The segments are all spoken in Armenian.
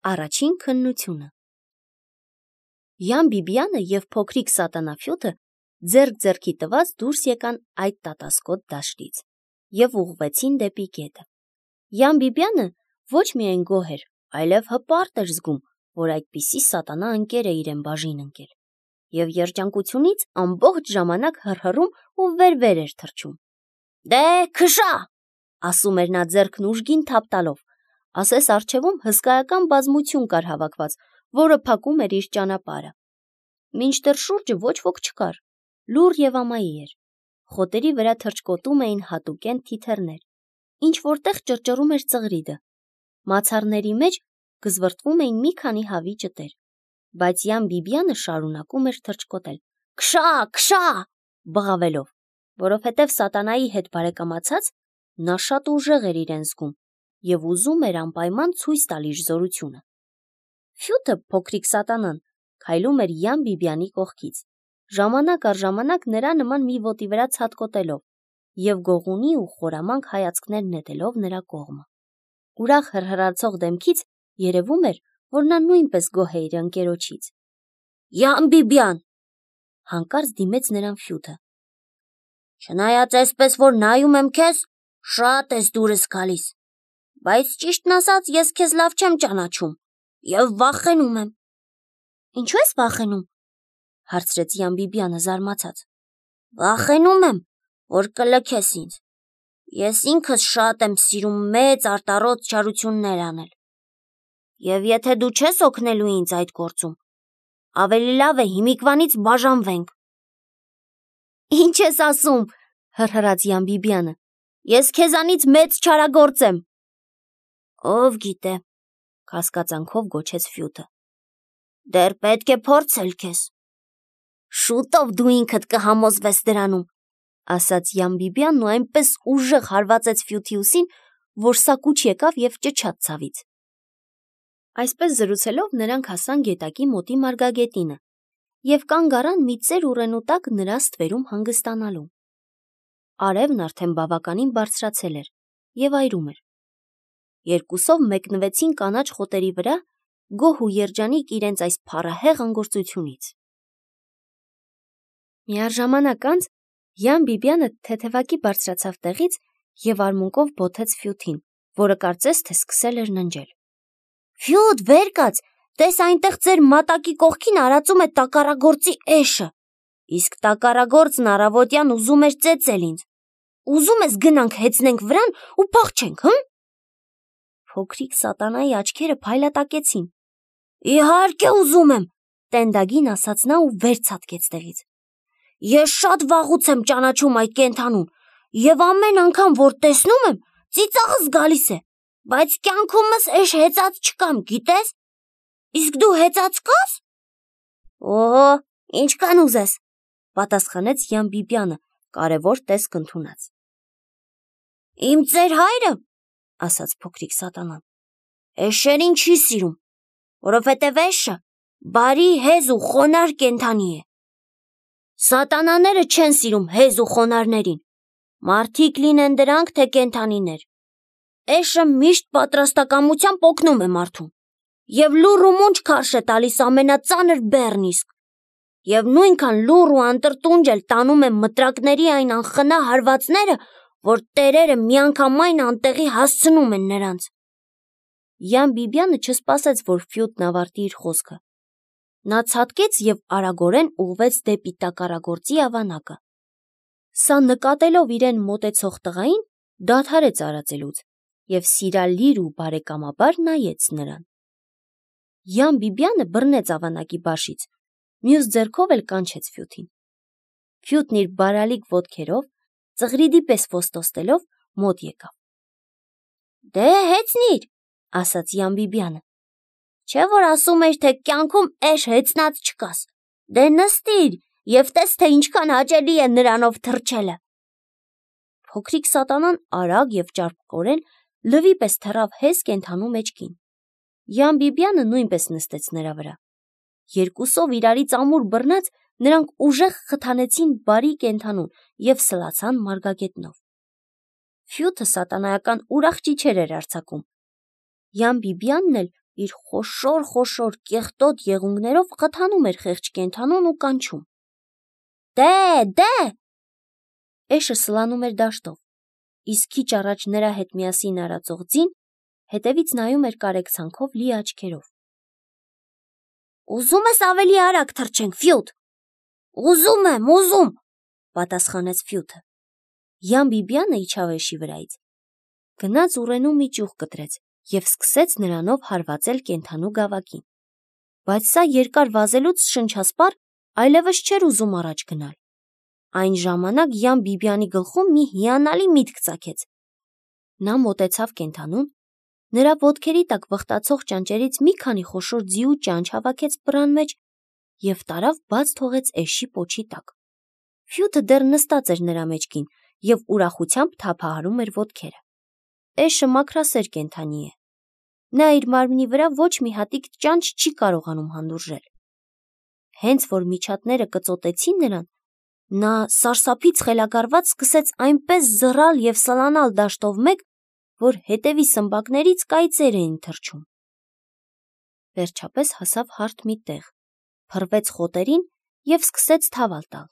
Առաջին քննությունը։ Յան Բիբյանը և փոքրիկ սատանաֆյութը ձեռք-ձեռքի տված դուրս եկան այդ տատասկոտ դաշտից և ուղղվեցին դեպի գետը։ Յան Բիբյանը ոչ միայն գոհ էր, այլև հպարտ էր զգում, որ այդպիսի սատանա ընկեր է իրեն բաժին ընկել, և երջանկությունից ամբողջ ժամանակ հռհռում ու վեր-վեր էր թռչում։ «Դե, քշա», ասում էր նա ձեռքն ուժգին թափ տալով, ասես առջևում հսկայական բազմություն կար հավաքված, որը փակում էր իր ճանապարհը։ Մինչդեռ շուրջը ոչ ոք չկար, լուռ և ամայի էր։ Խոտերի վրա թռչկոտում էին հատուկենտ թիթեռներ, ինչ-որտեղ ճռճռում էր ծղրիդը։ Մացառների մեջ գզվռտվում էին մի քանի հավի ճտեր, բայց Յան Բիբյանը շարունակում էր թռչկոտել. «Քշա, քշա», բղավելով, որովհետև սատանայի հետ բարեկամացած նա շատ ուժեղ էր իրեն զգում և ուզում էր անպայման ցույց տալ իր զորությունը։ Ֆյութը, փոքրիկ սատանան, քայլում էր Յան Բիբյանի կողքից, ժամանակ առ ժամանակ նրա նման մի ոտի վրա ցատկոտելով և գողունի ու խորամանկ հայացքներ նետելով նրա կողմը։ Ուրախ հռհռացող դեմքից երևում էր, որ նա նույնպես գոհ է իր ընկերոջից։ «Յան Բիբյան», հանկարծ դիմեց նրան Ֆյութը, «չնայած այսպես որ նայում եմ քեզ, շատ ես դուրս գալիս, բայց ճիշտն ասած ես քեզ լավ չեմ ճանաչում և վախենում եմ»։ «Ինչու ես վախենում», հարցրեց Յան Բիբյանը զարմացած։ «Վախենում եմ, որ կլքես ինձ։ Ես ինքս շատ եմ սիրում մեծ արտառոց չարություններ անել, և եթե դու չես օգնելու ինձ այդ գործում, ավելի լավ է հիմիկվանից բաժանվենք»։ «Ինչ ես ասում», հռհռաց Յան Բիբյանը, «ես քեզանից մեծ չարագործ եմ»։ «Ով գիտե», կասկածանքով գոչեց Ֆյութը, «դեռ պետք է փորձել քեզ»։ «Շուտով դու ինքդ կհամոզվես դրանում», ասաց Յան Բիբյանն ու այնպես ուժեղ հարվածեց Ֆյութի ուսին, որ սա կուչ եկավ և ճչաց ցավից։ Այսպես զրուցելով նրանք հասան գետակի մոտի մարգագետինը և կանգ առան մի ծեր ուռենու տակ նրա ստվերում հանգստանալու։ Արևն արդեն բավականին բարձրացել էր և այրում էր։ Երկուսով մեկնվեցին կանաչ խոտերի վրա, գոհ ու երջանիկ իրենց այս փառահեղ անգործությունից։ Միառժամանակ անց Յան Բիբյանը թեթևակի բարձրացավ տեղից և արմունկով բոթեց Ֆյութին, որը կարծես թե սկսել էր ննջել։ «Ֆյութ, վեր կաց, տես այնտեղ ձեր մատակի կողքին արածում է տակառագործի էշը, իսկ տակառագործն առավոտյան ուզում էր ծեծել ինձ։ Ուզում ես գնանք հեծնենք վրան ու փախչենք, հը՞»։ Փոքրիկ սատանայի աչքերը փայլատակեցին։ «Իհարկե ուզում եմ», տենդագին ասաց նա ու վեր ցատկեց տեղից։ «Ես շատ վաղուց եմ ճանաչում այդ կենդանուն և ամեն անգամ, որ տեսնում եմ, ծիծաղս գալիս է, բայց կյանքումս էշ հեծած չկամ, գիտես։ Իսկ դու հեծած կաս»։ «Օհո, ինչքան ուզես», պատասխանեց Յան Բիբյանը կարևոր տեսք ընդունած։ «Իմ ծեր հայրը», ասաց փոքրիկ սատանան, «էշերին չի սիրում, որովհետև էշը բարի, հեզ ու խոնարհ կենդանի է։ Սատանաները չեն սիրում հեզ ու խոնարհներին, մարդիկ լինեն դրանք, թե կենդանիներ։ Էշը միշտ պատրաստակամությամբ օգնում է մարդուն և լուռ ու մունջ քարշ է տալիս ամենածանր բեռն իսկ, և նույնքան լուռ ու անտրտունջ էլ տանում է մտրակների այն անխնա հարվածները, որ տերերը միանգամայն անտեղի հասցնում են նրանց»։ Յան Բիբյանը չսպասեց, որ Ֆյութն ավարտի իր խոսքը։ Նա ցատկեց և արագորեն ուղղվեց դեպի տակառագործի ավանակը։ Սա նկատելով իրեն մոտեցող տղային, դադարեց արածելուց և սիրալիր ու բարեկամաբար նայեց նրան։ Յան Բիբյանը բռնեց ավանակի բաշից, մյուս ձեռքով էլ կանչեց Ֆյութին։ Ֆյութն իր բարալիկ ոտքերով, ծղրիդի պես ոստոստելով, մոտ եկավ։ «Դե հեծնի՛ր», ասաց Յան Բիբյանը։ «Չէ՞ որ ասում էիր, թե կյանքում էշ հեծնած չկաս։ Դե նստիր և տես, թե ինչքան հաճելի է նրանով թռչելը»։ Փոքրիկ սատանան արագ և ճարպկորեն լվի պես թռավ հեզ կենդանու մեջքին։ Յան Բիբյանը նույնպես նստեց նրա վրա։ Երկուսով իրարից ամուր բռնած նրանք ուժեղ խթանեցին բարի կենդանուն և սլացան մարգագետնով։ Ֆյութը սատանայական ուրախ ճիչեր էր արձակում։ Յան Բիբյանն էլ իր խոշոր կեղտոտ եղունգներով խթանում էր խեղճ կենդանուն ու կանչում. Դե! Էշը սլանում էր դաշտով, իսկ քիչ առաջ նրա հետ միասին արածող ձին հետևից նայում էր կարեկցանքով լի աչքերով։ Ուզում ես ավելի արագ թռչենք, Ֆյուտ։ Ուզում եմ, պատասխանեց Ֆյուտը։ Յան Բիբյանը իջավ էշի վրայից, գնաց ուռենու մի ճյուղ կտրեց և սկսեց նրանով հարվածել կենդանու գավակին։ Բայց սա երկար վազելուց շնչասպառ այլևս չէր ուզում առաջ գնալ։ Այն ժամանակ Յան Բիբյանի գլխում մի հիանալի միտք ծագեց։ Նա մոտեցավ կենդանուն, նրա ոտքերի տակ վխտացող ճանճերից մի քանի խոշոր ձիու ճանճ հավաքեց պռան մեջ և տարավ բաց թողեց էշի պոչի տակ։ Ֆյուտը դեռ նստած էր նրա մեջքին և ուրախությամբ թափահարում էր ոտքերը։ Էշը մաքրասեր կենդանի է։ Նա իր մարմնի վրա ոչ մի հատիկ ճանճ չի կարողանում հանդուրժել։ Հենց որ միջատները կծոտեցին նրան, նա սարսափից խելագարված սկսեց այնպես զռալ և սլանալ դաշտով մեկ, որ հետևի սմբակներից կայծեր էին թռչում։ Վերջապես հասավ հարթ մի տեղ, փռվեց խոտերին և սկսեց թավալ տալ։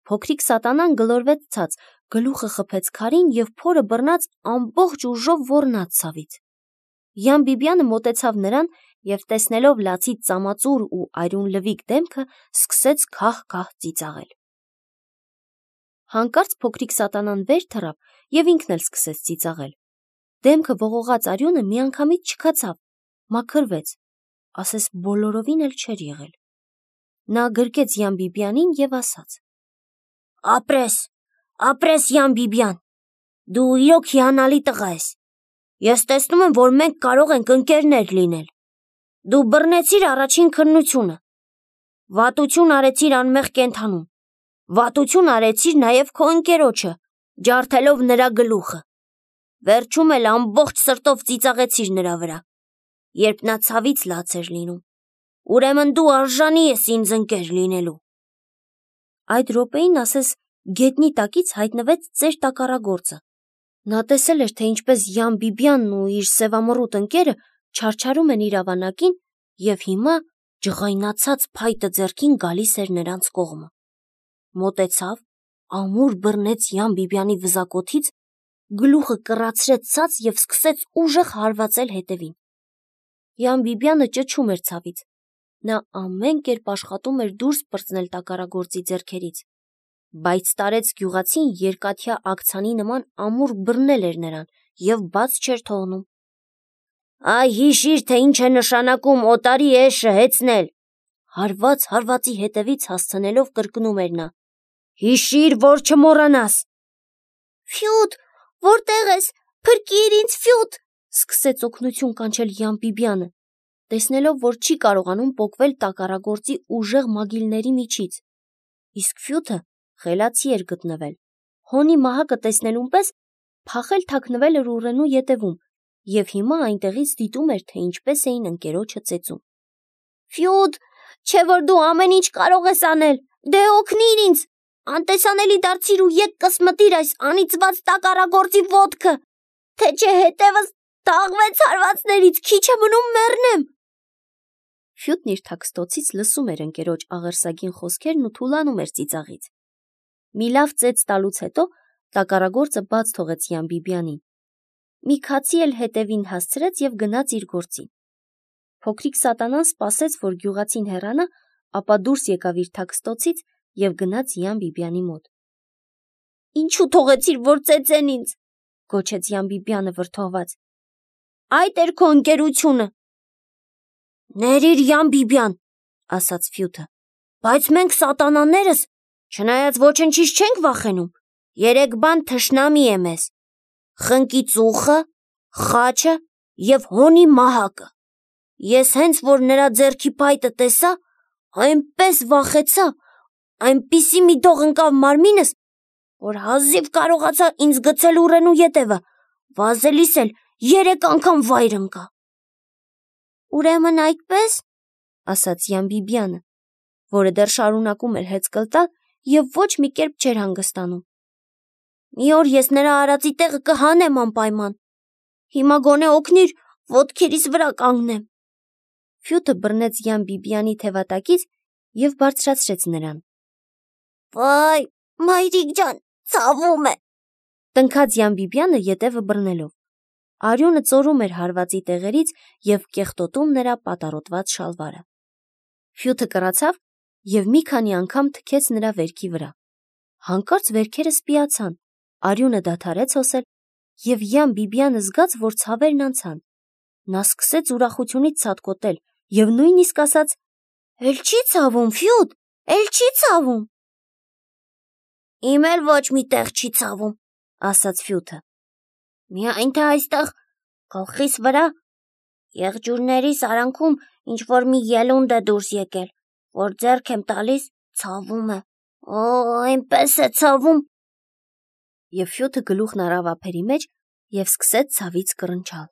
Փոքրիկ սատանան գլորվեց ցած, գլուխը խփեց քարին և փորը բռնած ամբողջ ուժով ոռնաց ցավից։ Յան Բիբյանը մոտեցավ նրան և տեսնելով լացից ծամածուր ու արյուն լվիկ դեմքը, սկսեց քահ-քահ ծիծաղել։ Հանկարծ փոքրիկ սատանան վեր թռավ և ինքն էլ սկսեց ծիծաղել։ Դեմքը ողողած արյունը միանգամից չքացավ, մաքրվեց, ասես բոլորովին էլ չէր եղել։ Նա գրկեց Յան Բիբյանին և ասաց. Ապրես, Յան Բիբյան, դու իրոք հիանալի տղա ես։ Ես տեսնում եմ, որ մենք կարող ենք ընկերներ լինել։ Դու բռնեցիր առաջին քննությունը, վատություն արեցիր անմեղ կենդանուն, վատություն արեցիր նաև քո ընկերոջը, ջարդելով նրա գլուխը, վերջում էլ ամբողջ սրտով ծիծաղեցիր նրա վրա, երբ նա ցավից լաց էր լինում։ Ուրեմն դու արժանի ես ինձ ընկեր լինելու։ Այդ րոպեին ասես գետնի տակից հայտնվեց ծեր տակառագործը։ Նա տեսել էր, թե ինչպես Յան Բիբյանն ու իր սևամռութ ընկերը չարչարում են իր ավանակին և հիմա ջղայնացած փայտը ձեռքին գալիս էր նրանց կողմը։ Մոտեցավ, ամուր բռնեց Յան Բիբյանի վզակոթից, գլուխը կռացրեց ցած և սկսեց ուժեղ հարվածել հետևին։ Յան Բիբյանը ճչում էր ցավից։ Նա ամեն կերպ աշխատում էր դուրս պրծնել տակառագործի ձեռքերից, բայց տարեց գյուղացին երկաթյա աքցանի նման ամուր բռնել էր նրան և բաց չէր թողնում։ Այ հիշիր, թե ինչ է նշանակում օտարի էշը հեծնել, հարված հարվածի հետևից հասցնելով կրկնում էր նա։ Հիշիր, որ չմոռանաս։ Ֆյուտ, որտե՞ղ ես, փրկիր ինձ, Ֆյուտ, սկսեց օգնություն կանչել Յան Բիբյանը, տեսնելով, որ չի կարողանում պոկվել տակառագործի ուժեղ մագիլների միջից։ Իսկ Ֆյուտը խելացի էր գտնվել, հոնի մահակը տեսնելուն պես փախել թաքնվել էր ուռենու ետևում և հիմա այնտեղից դիտում էր, թե ինչպես էին ընկերոջը ծեծում։ Ֆյուտ, չէ որ դու ամեն ինչ կարող ես անել, դե օգնիր ինձ, անտեսանելի դարձիր ու եկ կսմտիր այս անիծված տակառագործի ոտքը, թե չէ հետևս դաղվեց հարվածներից, քիչ է մնում մեռնեմ։ Ֆյուտն իր թաքստոցից լսում էր ընկերոջ աղերսագին խոսքերն ու թուլանում էր ծիծաղից։ Մի լավ ծեծ տալուց հետո տակառագործը բաց թողեց Յան Բիբյանին։ Մի քացի էլ հետևին հասցրեց և գնաց իր գործին։ Փոքրիկ սատանան սպասեց, որ գյուղացին հեռանա, ապա դուրս եկավ իր թաքստոցից և գնաց Յան Բիբյանի մոտ։ Ինչու թողեցիր, որ ծեծեն ինձ, գոչեց Յան Բիբյանը վրդովված։ Այդ էր քո ընկերությունը։ Ներիր, Յան Բիբյան, ասաց Ֆյուտը, բայց մենք սատանաներս, չնայած ոչնչից չենք վախենում, երեք բան թշնամի է մեզ. խնկի ծուխը, խաչը և հոնի մահակը։ Ես հենց որ նրա ձեռքի փայտը տեսա, այնպես վախեցա, այնպիսի մի դող ընկավ մարմինս, որ հազիվ կարողացա ինձ գցել ուռենու ետևը, վազելիս էլ 3 անգամ վայր ընկա։ Ուրեմն այդպես, ասաց Յան Բիբյանը, որը դեռ շարունակում էր հեծկլ տալ և ոչ մի կերպ չէր հանգստանում։ Մի օր ես նրա արածի տեղը կհանեմ անպայման։ Հիմա գոնե օգնիր, ոտքերիս վրա կանգնեմ։ Ֆյութը բռնեց Յան Բիբյանի թևատակից և բարձրացրեց նրան։ Վայ, մայրիկ ջան, ցավում է, տնքաց Յան Բիբյանը ետևը բռնելով։ Արյունը ծորում էր հարվածի տեղերից և կեղտոտում նրա պատառոտված շալվարը։ Ֆյութը կռացավ և մի քանի անգամ թքեց նրա վերքի վրա։ Հանկարծ վերքերը սպիացան, արյունը դադարեց հոսել, և Յան Բիբյանը զգաց, որ ցավերն անցան։ Նա սկսեց ուրախությունից ցատկոտել և նույնիսկ ասաց. «Էլ չի ցավում, Ֆյութ, էլ չի ցավում»։ Իմ էլ ոչ մի տեղ չի ցավում, ասաց Ֆյութը։ Միայն թե այստեղ գլխիս վրա եղջյուրներիս արանքում ինչ-որ մի ելունդ է դուրս եկել, որ ձեռք եմ տալիս, ցավում է, այնպես է ցավում։ Եվ Ֆյութը գլուխն առավ ափերի մեջ և սկսեց ցավից կռնչալ։